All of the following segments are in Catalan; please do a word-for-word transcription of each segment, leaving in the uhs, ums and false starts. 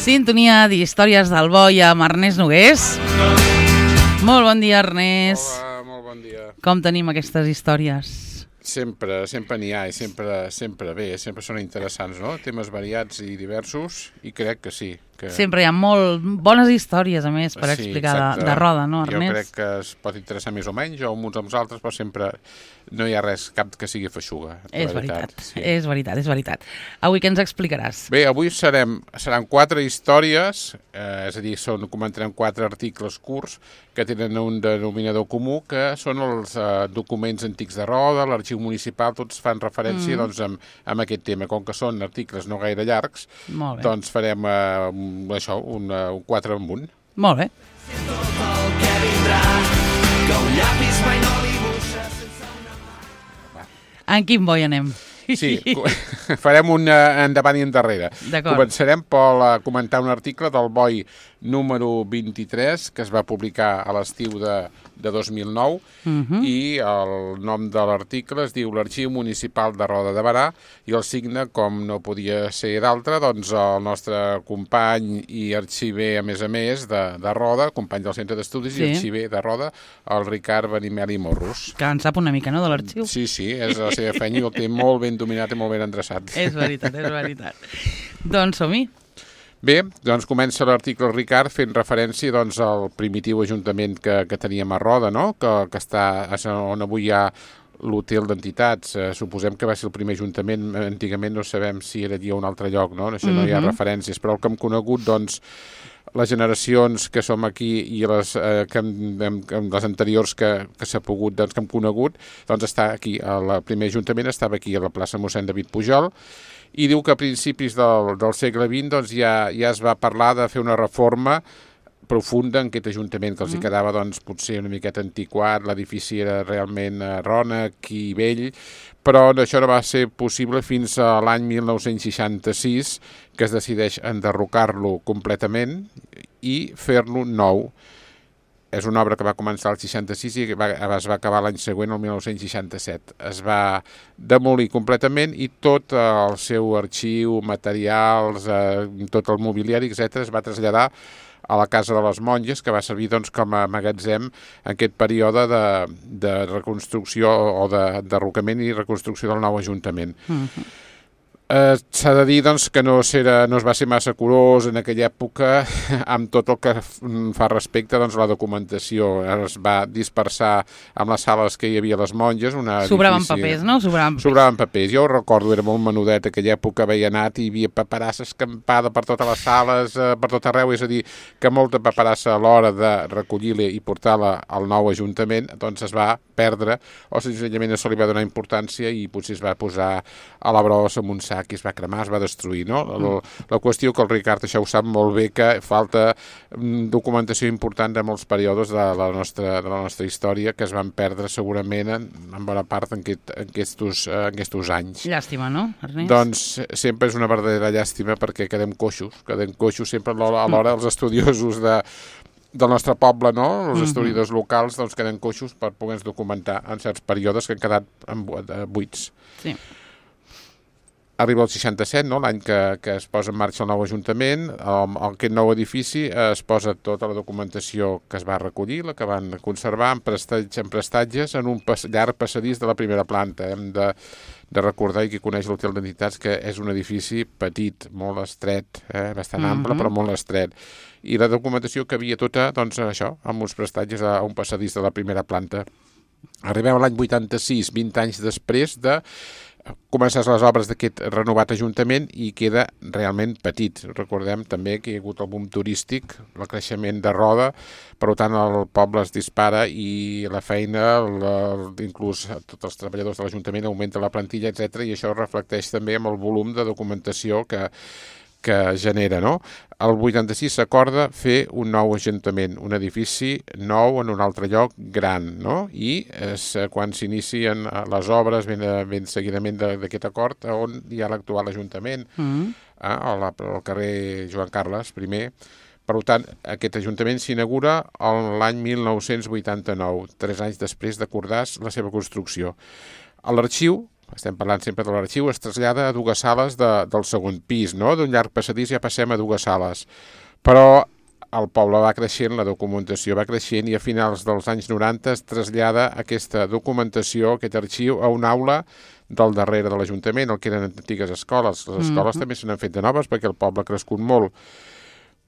Sintonia d'Històries del Boi amb Ernest Nogués. Molt bon dia, Ernest. Hola, molt bon dia. Com tenim aquestes històries? Sempre, sempre n'hi ha i sempre, sempre bé, sempre són interessants, no? Temes variats i diversos i crec que sí. Que... Sempre hi ha molt bones històries, a més, per sí, explicar de, exacte. de roda, no, Ernest? Jo crec que es pot interessar més o menys, o uns amb els altres, però sempre no hi ha res, cap que sigui feixuga. És veritat, veritat sí. és veritat, és veritat. Avui què ens explicaràs? Bé, avui serem, seran quatre històries, eh, és a dir, són, comentarem quatre articles curts que tenen un denominador comú, que són els eh, documents antics de Roda, l'arxiu municipal, tots fan referència mm. doncs, amb, amb aquest tema. Com que són articles no gaire llargs, doncs farem eh, això, un, un quatre en un. Molt bé. En quin boi anem? Sí, farem un endavant i endarrere. Començarem per comentar un article del boi número vint-i-tres, que es va publicar a l'estiu de, de dos mil nou, uh-huh. i el nom de l'article es diu l'Arxiu Municipal de Roda de Berà, i el signe, com no podia ser d'altre, doncs el nostre company i arxiver, a més a més, de, de Roda, company del Centre d'Estudis sí. i arxiver de Roda, el Ricard Benimeli Morros. Que en sap una mica, no?, de l'arxiu. Sí, sí, és la seva feina i el té molt ben dominat i molt ben endreçat. És veritat, és veritat. Doncs som-hi. Bé, doncs comença l'article Ricard fent referència doncs, al primitiu ajuntament que, que teníem a Roda, no? que, que està on avui hi ha l'hotel d'entitats. Eh, suposem que va ser el primer ajuntament, antigament no sabem si era allí o un altre lloc, no? Això no hi ha referències, però el que hem conegut, doncs, les generacions que som aquí i les, eh, que hem, hem, les anteriors que, que s'ha pogut, doncs, que hem conegut, doncs està aquí. El primer ajuntament estava aquí a la plaça Mossèn David Pujol, i diu que a principis del, del segle vint doncs, ja, ja es va parlar de fer una reforma profunda en aquest ajuntament, que els hi quedava doncs, potser una miqueta antiquat, l'edifici era realment eh, rònec i vell, però això no va ser possible fins a l'any mil nou-cents seixanta-sis, que es decideix enderrocar-lo completament i fer-lo nou. És una obra que va començar al seixanta-sis i va, es va acabar l'any següent, el mil nou-cents seixanta-set. Es va demolir completament i tot el seu arxiu, materials, eh, tot el mobiliari, etcètera, es va traslladar a la Casa de les Monges, que va servir doncs, com a magatzem en aquest període de, de reconstrucció o de derrocament i reconstrucció del nou ajuntament. Mm-hmm. Eh, s'ha de dir doncs, que no, era, no es va ser massa curós en aquella època amb tot el que fa respecte doncs, a la documentació. Es va dispersar amb les sales que hi havia a les monges. Una Sobraven edifici... papers, no? Sobraven papers. Sobraven papers. Jo ho recordo, era molt menudet, aquella època veia anat i hi havia paperassa escampada per totes les sales, eh, per tot arreu, és a dir, que molta paperassa a l'hora de recollir-la i portar-la al nou ajuntament doncs es va perdre, o senzillament no se li va donar importància i potser es va posar a la brossa amb un sac que es va cremar, es va destruir, no? La, la qüestió que el Ricard això ho sap molt bé, que falta documentació important de molts períodes de la nostra, de la nostra història que es van perdre segurament en, en bona part en, aquest, en, aquestos, en aquestos anys. Llàstima, no, Ernest? Doncs sempre és una verdadera llàstima perquè quedem coixos, quedem coixos sempre a l'hora dels estudiosos de del nostre poble, no? Els historiadors locals doncs queden coixos per poder-nos documentar en certs períodes que han quedat buits. Sí. Arriba el seixanta-set, no? L'any que, que es posa en marxa el nou ajuntament, el, aquest nou edifici es posa tota la documentació que es va recollir, la que van conservar en prestatges en, prestatges, en un pas, llarg passadís de la primera planta. Hem de, de recordar, i qui coneix l'hotel d'entitats, que és un edifici petit, molt estret, eh? bastant uh-huh. ample, però molt estret. I la documentació que havia tota, doncs això, amb uns prestatges a un passadís de la primera planta. Arribem a l'any vuitanta-sis, vint anys després de començar les obres d'aquest renovat ajuntament i queda realment petit. Recordem també que hi ha hagut el boom turístic, el creixement de Roda, per tant el poble es dispara i la feina, la, inclús tots els treballadors de l'Ajuntament augmenta la plantilla, etcètera, i això reflecteix també amb el volum de documentació que que genera, no? El vuitanta-sis s'acorda fer un nou ajuntament, un edifici nou en un altre lloc gran, no? I és quan s'inicien les obres ben, ben seguidament d'aquest acord on hi ha l'actual ajuntament, mm. eh, al, al carrer Joan Carles primer. Per tant, aquest ajuntament s'inaugura l'any mil nou-cents vuitanta-nou, tres anys després d'acordar la seva construcció. A l'arxiu estem parlant sempre de l'arxiu, es trasllada a dues sales de, del segon pis, no? D'un llarg passadís ja passem a dues sales. Però el poble va creixent, la documentació va creixent i a finals dels anys noranta es trasllada aquesta documentació, aquest arxiu, a una aula del darrere de l'Ajuntament, el que eren antigues escoles. Les escoles mm-hmm. també se n'han fet de noves perquè el poble ha crescut molt.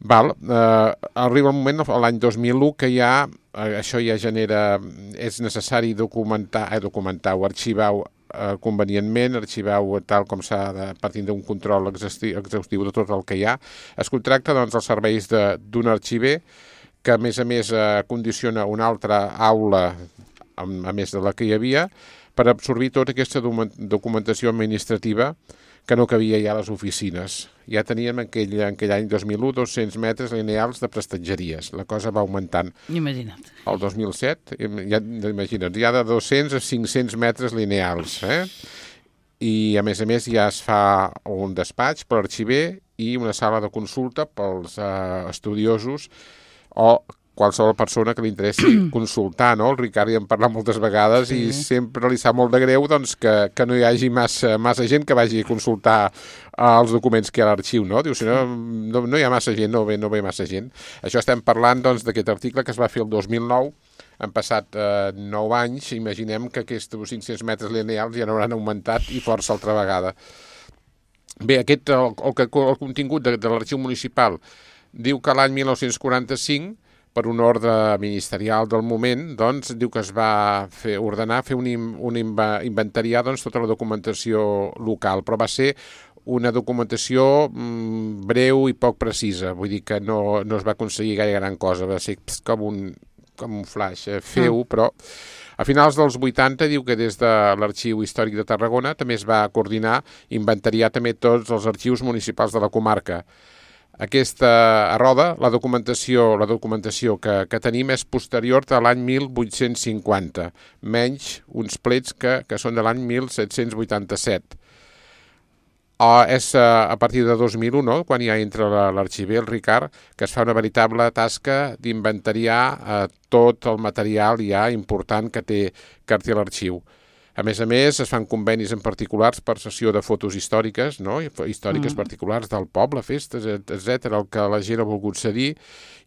Val, eh, arriba el moment, l'any dos mil u, que ja, eh, això ja genera, és necessari documentar, eh, documentar o arxivar eh, convenientment, arxivar-ho tal com s'ha de, partint d'un control exhaustiu de tot el que hi ha. Es contracta doncs els serveis d'un arxiver que a més a més eh, condiciona una altra aula, a, a més de la que hi havia, per absorbir tota aquesta documentació administrativa que no cabia ja a les oficines. Ja teníem en aquell, en aquell any dos mil u dos-cents metres lineals de prestatgeries. La cosa va augmentant. Imagina't. El dos mil set, ja, imagina't, ja de dos-cents a cinc-cents metres lineals. Eh? I, a més a més, ja es fa un despatx per l'arxiver i una sala de consulta pels eh, estudiosos o qualsevol persona que li interessi consultar, no? El Ricard hi hem parlat moltes vegades sí. I sempre li sap molt de greu doncs, que, que no hi hagi massa, massa gent que vagi a consultar uh, els documents que hi ha a l'arxiu, no? Diu, si no, no, no hi ha massa gent, no ve, no ve massa gent. Això estem parlant doncs, d'aquest article que es va fer el dos mil nou, han passat eh, nou anys, imaginem que aquests cinc-cents metres lineals ja n'hauran augmentat i força altra vegada. Bé, aquest, el, el, el contingut de, de l'arxiu municipal diu que l'any mil nou-cents quaranta-cinc per un ordre ministerial del moment, doncs, diu que es va fer, ordenar fer un, un inventariar doncs, tota la documentació local, però va ser una documentació mm, breu i poc precisa, vull dir que no, no es va aconseguir gaire gran cosa, va ser com un, com un flash, eh, feu, mm. però a finals dels vuitanta diu que des de l'Arxiu Històric de Tarragona també es va coordinar, inventariar també tots els arxius municipals de la comarca. Aquesta roda, la documentació, la documentació que, que tenim és posterior a l'any mil vuit-cents cinquanta, menys uns plets que, que són de l'any mil set-cents vuitanta-set. O és a partir de dos mil u, no? Quan ja entra l'arxiver, el Ricard, que es fa una veritable tasca d'inventariar eh, tot el material ja important que té, que té l'arxiu. A més a més, es fan convenis en particulars per sessió de fotos històriques, no? Històriques mm. particulars del poble, festes, etcètera, el que la gent ha volgut cedir,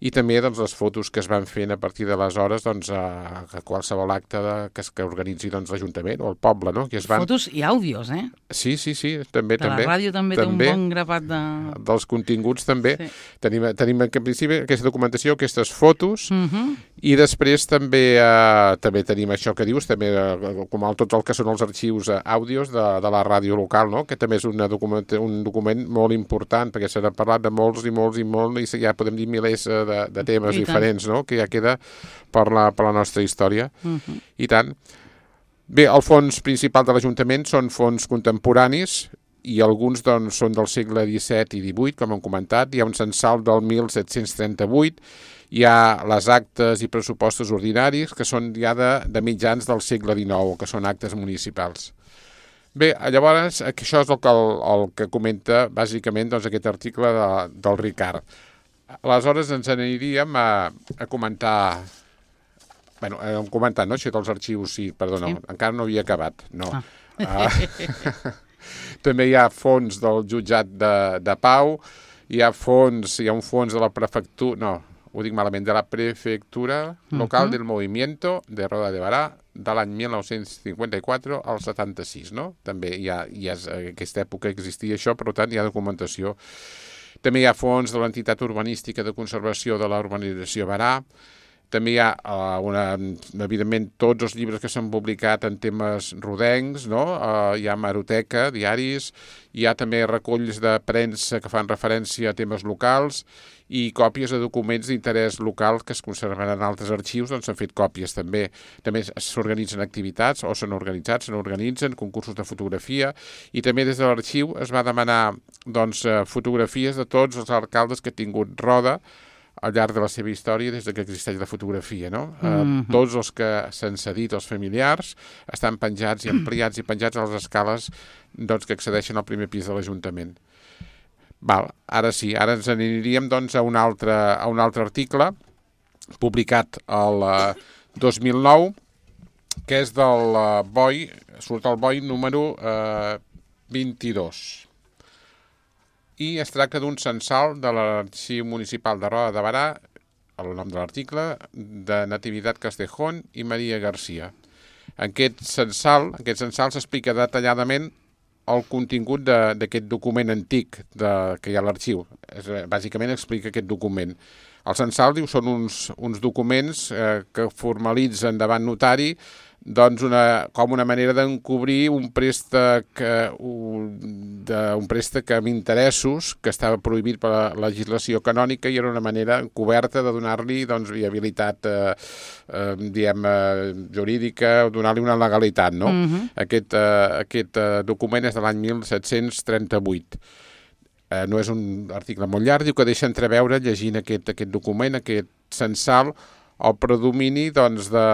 i també doncs, les fotos que es van fent a partir d'aleshores doncs, a, a qualsevol acte de, que, que organitzi doncs, l'Ajuntament o el poble. No? Que es van... Fotos i àudios, eh? Sí, sí, sí, també. Que també. La ràdio també, també té un bon grapat de... Dels continguts també. Sí. Tenim, tenim en principi aquesta documentació, aquestes fotos, mm-hmm. i després també, eh, també tenim això que dius, també eh, com el, tot el que són els arxius eh, àudios de, de la ràdio local, no? Que també és una document, un document molt important, perquè s'ha parlat de molts i molts i molts, i ja podem dir milers eh, de, de temes I diferents, no? Que ja queda per la, per la nostra història. Uh-huh. I tant. Bé, el fons principal de l'Ajuntament són fons contemporanis, i alguns doncs, són del segle disset i divuit, com hem comentat. Hi ha un censal del mil set-cents trenta-vuit, hi ha les actes i pressupostos ordinaris, que són ja de, de mitjans del segle dinou, que són actes municipals. Bé, llavors, això és el que, el, el que comenta bàsicament doncs, aquest article de, del Ricard. Aleshores ens aniríem a, a comentar... Bé, hem comentat, no? Això dels arxius, sí, perdona, sí. Encara no havia acabat, no. Ah. Ah. També hi ha fons del jutjat de, de Pau, hi ha fons, hi ha un fons de la prefectura, no, ho dic malament, de la prefectura local uh-huh. del Movimiento de Roda de Barà de l'any mil nou-cents cinquanta-quatre al setanta-sis, no? També hi ha, hi ha aquesta època existia això, per tant hi ha documentació. També hi ha fons de l'entitat urbanística de conservació de la urbanització Barà. També hi ha, uh, una, evidentment, tots els llibres que s'han publicat en temes rodencs, no? Uh, hi ha hemeroteca, diaris, hi ha també reculls de premsa que fan referència a temes locals i còpies de documents d'interès local que es conserven en altres arxius, doncs s'han fet còpies també. També s'organitzen activitats, o s'han organitzat, s'han organitzen concursos de fotografia, i també des de l'arxiu es va demanar doncs, fotografies de tots els alcaldes que ha tingut Roda al llarg de la seva història des que existeix la fotografia, no? Mm-hmm. Uh, tots els que s'han cedit als familiars estan penjats i ampliats i penjats a les escales doncs, que accedeixen al primer pis de l'Ajuntament. Val, ara sí, ara ens aniríem doncs, a, un altre, a un altre article publicat el uh, dos mil nou que és del uh, boi, surt el boi número uh, vint-i-dos. I es tracta d'un censal de l'Arxiu Municipal de Roda de Barà, el nom de l'article, de Natividad Castejón i Maria García. En aquest censal, aquest censal s'explica detalladament el contingut d'aquest document antic de, que hi ha a l'arxiu. Bàsicament explica aquest document. El censal, diu, són uns, uns documents eh, que formalitzen davant notari doncs una, com una manera d'encobrir un préstec, eh, un, de, un préstec amb interessos que estava prohibit per la legislació canònica i era una manera encoberta de donar-li doncs, viabilitat eh, eh, diguem, eh, jurídica, donar-li una legalitat. No? Mm-hmm. Aquest, eh, aquest eh, document és de l'any mil set-cents trenta-vuit. Eh, no és un article molt llarg, diu que deixa entreveure, llegint aquest, aquest document, aquest censal, el predomini doncs, de...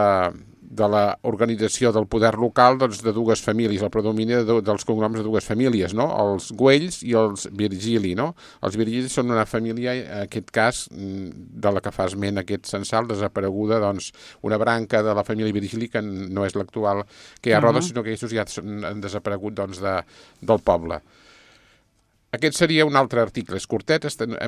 de l'organització del poder local doncs, de dues famílies, el predomini de, dels cognoms de dues famílies, no? Els Güells i els Virgili. No? Els Virgili són una família, en aquest cas, de la que fa esment aquest censal, desapareguda, doncs, una branca de la família Virgili que no és l'actual que hi ha a Roda, uh-huh. sinó que aquests ja han desaparegut doncs, de, del poble. Aquest seria un altre article, és curtet,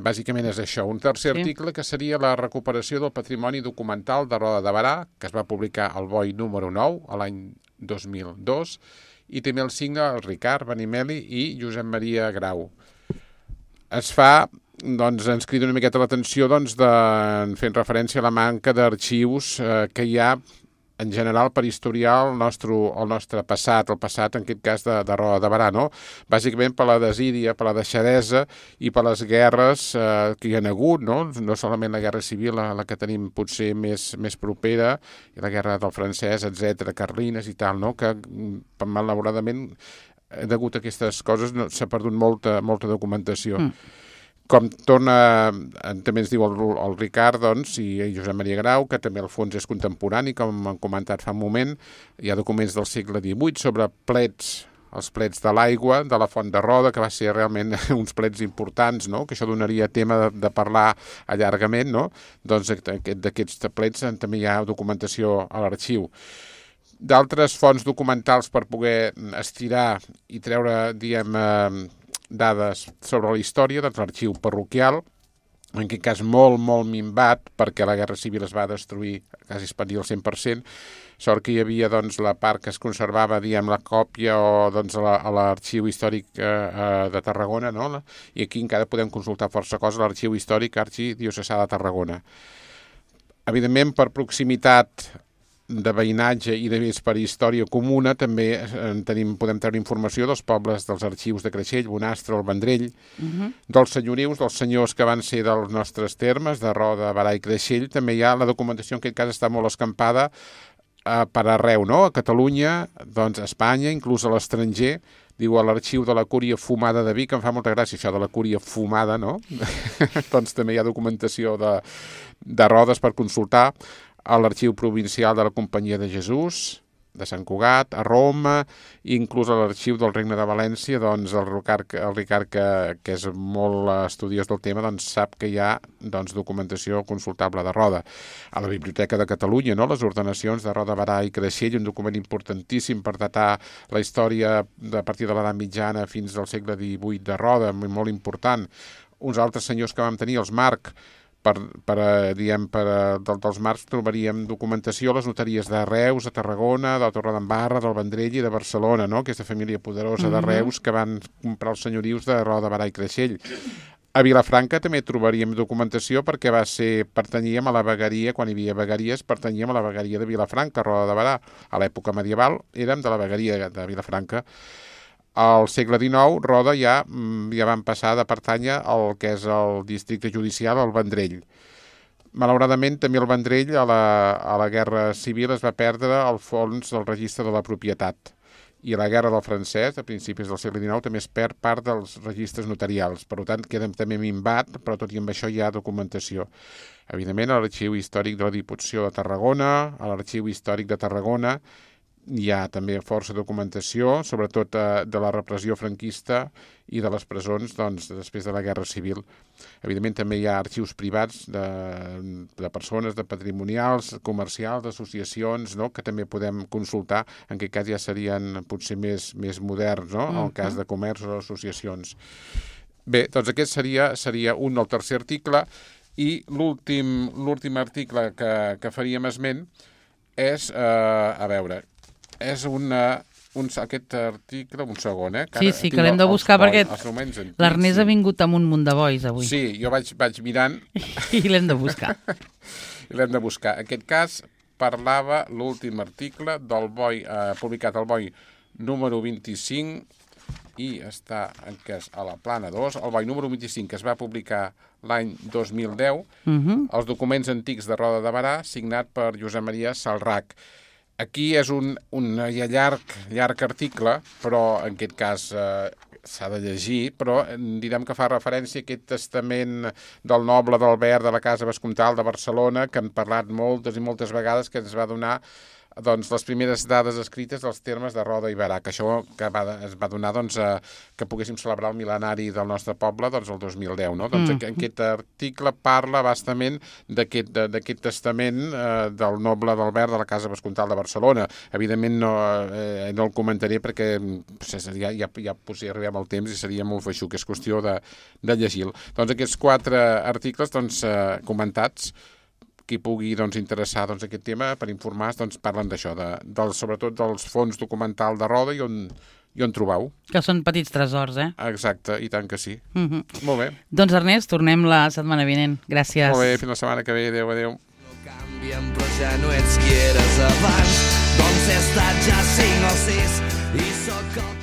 bàsicament és això. Un tercer sí. article que seria la recuperació del patrimoni documental de Roda de Barà, que es va publicar al boi número nou, a l'any dos mil dos, i també el signa el Ricard Benimeli i Josep Maria Grau. Es fa, doncs, ens crida una miqueta l'atenció, doncs, de, fent referència a la manca d'arxius eh, que hi ha en general per historiar el nostre, el nostre passat, el passat en aquest cas de, de Roda de Barà, no? Bàsicament per la desídia, per la deixadesa i per les guerres eh, que hi ha hagut, no? No solament la guerra civil, la, la que tenim potser més, més propera, i la guerra del francès, etcètera, carlines i tal, no? Que malauradament degut a aquestes coses no, s'ha perdut molta, molta documentació. Mm. Com torna, també ens diu el, el Ricard, doncs, i Josep Maria Grau, que també el fons és contemporani, com han comentat fa un moment. Hi ha documents del segle divuit sobre plets, els plets de l'aigua, de la Font de Roda, que va ser realment uns plets importants, no? Que això donaria tema de, de parlar allargament, no? Doncs d'aquests plets també hi ha documentació a l'arxiu. D'altres fonts documentals per poder estirar i treure, diguem, eh, dades sobre la història, doncs l'arxiu parroquial, en aquest cas molt, molt minvat, perquè la Guerra Civil es va destruir quasi es pot dir al cent per cent, sort que hi havia doncs, la part que es conservava, diguem, la còpia o doncs, a l'arxiu històric eh, de Tarragona, no? I aquí encara podem consultar força coses a l'arxiu històric arxidiocesà de Tarragona. Evidentment, per proximitat de veïnatge i de més per història comuna, també tenim, podem treure informació dels pobles dels arxius de Creixell, Bonastre, el Vendrell, uh-huh. dels senyorius, dels senyors que van ser dels nostres termes, de Roda, Barà i Creixell. També hi ha la documentació, en aquest cas està molt escampada eh, per arreu, no? A Catalunya, doncs a Espanya, inclús a l'estranger. Diu a l'arxiu de la Cúria Fumada de Vic, em fa molta gràcia això de la Cúria Fumada, no? Doncs també hi ha documentació de, de Rodes per consultar. A l'Arxiu Provincial de la Companyia de Jesús, de Sant Cugat, a Roma, inclús a l'Arxiu del Regne de València, doncs el Ricard, el Ricard que, que és molt estudiós del tema, doncs sap que hi ha doncs, documentació consultable de Roda. A la Biblioteca de Catalunya, no? Les ordenacions de Roda, Barà i Creixell, un document importantíssim per datar la història a partir de l'edat mitjana fins al segle divuit de Roda, molt important. Uns altres senyors que vam tenir, els Marc, Per, per, diguem, per, del, dels marcs trobaríem documentació a les notaries de Reus, de Tarragona, de la Torredembarra, del Vendrell i de Barcelona, no? Aquesta família poderosa mm-hmm. de Reus que van comprar els senyorius de Roda, Barà i Creixell. A Vilafranca també trobaríem documentació perquè va ser, pertanyíem a la vegueria, quan hi havia vegueries, pertanyíem a la vegueria de Vilafranca, Roda de Barà. A l'època medieval érem de la vegueria de Vilafranca. Al segle dinou, Roda ja, ja van passar de pertànyer al que és el districte judicial, al Vendrell. Malauradament, també el Vendrell, a la, a la Guerra Civil, es va perdre el fons del registre de la propietat. I a la Guerra del Francès, a principis del segle dinou, també es perd part dels registres notarials. Per tant, queda també minvat, però tot i amb això hi ha documentació. Evidentment, a l'Arxiu Històric de la Diputació de Tarragona, a l'Arxiu Històric de Tarragona, hi ha també força documentació, sobretot eh, de la repressió franquista i de les presons doncs, després de la Guerra Civil. Evidentment també hi ha arxius privats de, de persones, de patrimonials, comercials, d'associacions, no?, que també podem consultar, en aquest cas ja serien potser més, més moderns, no?, en el cas de comerç o associacions. Bé, doncs aquest seria, seria un del tercer article, i l'últim l'últim article que, que faríem esment és, eh, a veure, és una, un, aquest article, un segon, eh? Que sí, sí, que l'hem de buscar els, perquè l'Ernest sí. ha vingut amb un munt de bois avui. Sí, jo vaig, vaig mirant... I l'hem de buscar. I l'hem de buscar. En aquest cas parlava l'últim article del boi, eh, publicat al boi número vint-i-cinc, i està en cas a la plana dos, el boi número vint-i-cinc, que es va publicar l'any dos mil deu, uh-huh. els documents antics de Roda de Berà, signat per Josep Maria Salrach. Aquí és un, un ja llarg, llarg article, però en aquest cas eh, s'ha de llegir, però direm que fa referència a aquest testament del noble d'Albert de la Casa Vescomtal de Barcelona, que hem parlat moltes i moltes vegades, que ens va donar doncs, les primeres dades escrites dels termes de Roda i Berà, que això que va, es va donar doncs, a, que poguéssim celebrar el mil·lenari del nostre poble doncs, el dos mil deu. No? Doncs, mm. Aquest article parla bastament d'aquest testament eh, del noble d'Albert de la Casa Vescomtal de Barcelona. Evidentment no, eh, no el comentaré perquè ja, ja, ja potser arribem al temps i seria molt feixuc, és qüestió de, de llegir-lo. Doncs aquests quatre articles doncs, eh, comentats, qui pugui doncs, interessar doncs, aquest tema per informar, doncs, parlen d'això, de, de, sobretot dels fons documental de Roda i on, i on trobau. Que són petits tresors, eh? Exacte, i tant que sí. Mm-hmm. Molt bé. Doncs Ernest, tornem la setmana vinent. Gràcies. Molt bé, fins la setmana que ve. Adéu, adéu. No canvien, però ja no ets qui eres abans. Doncs he estat ja cinc o sis i sóc el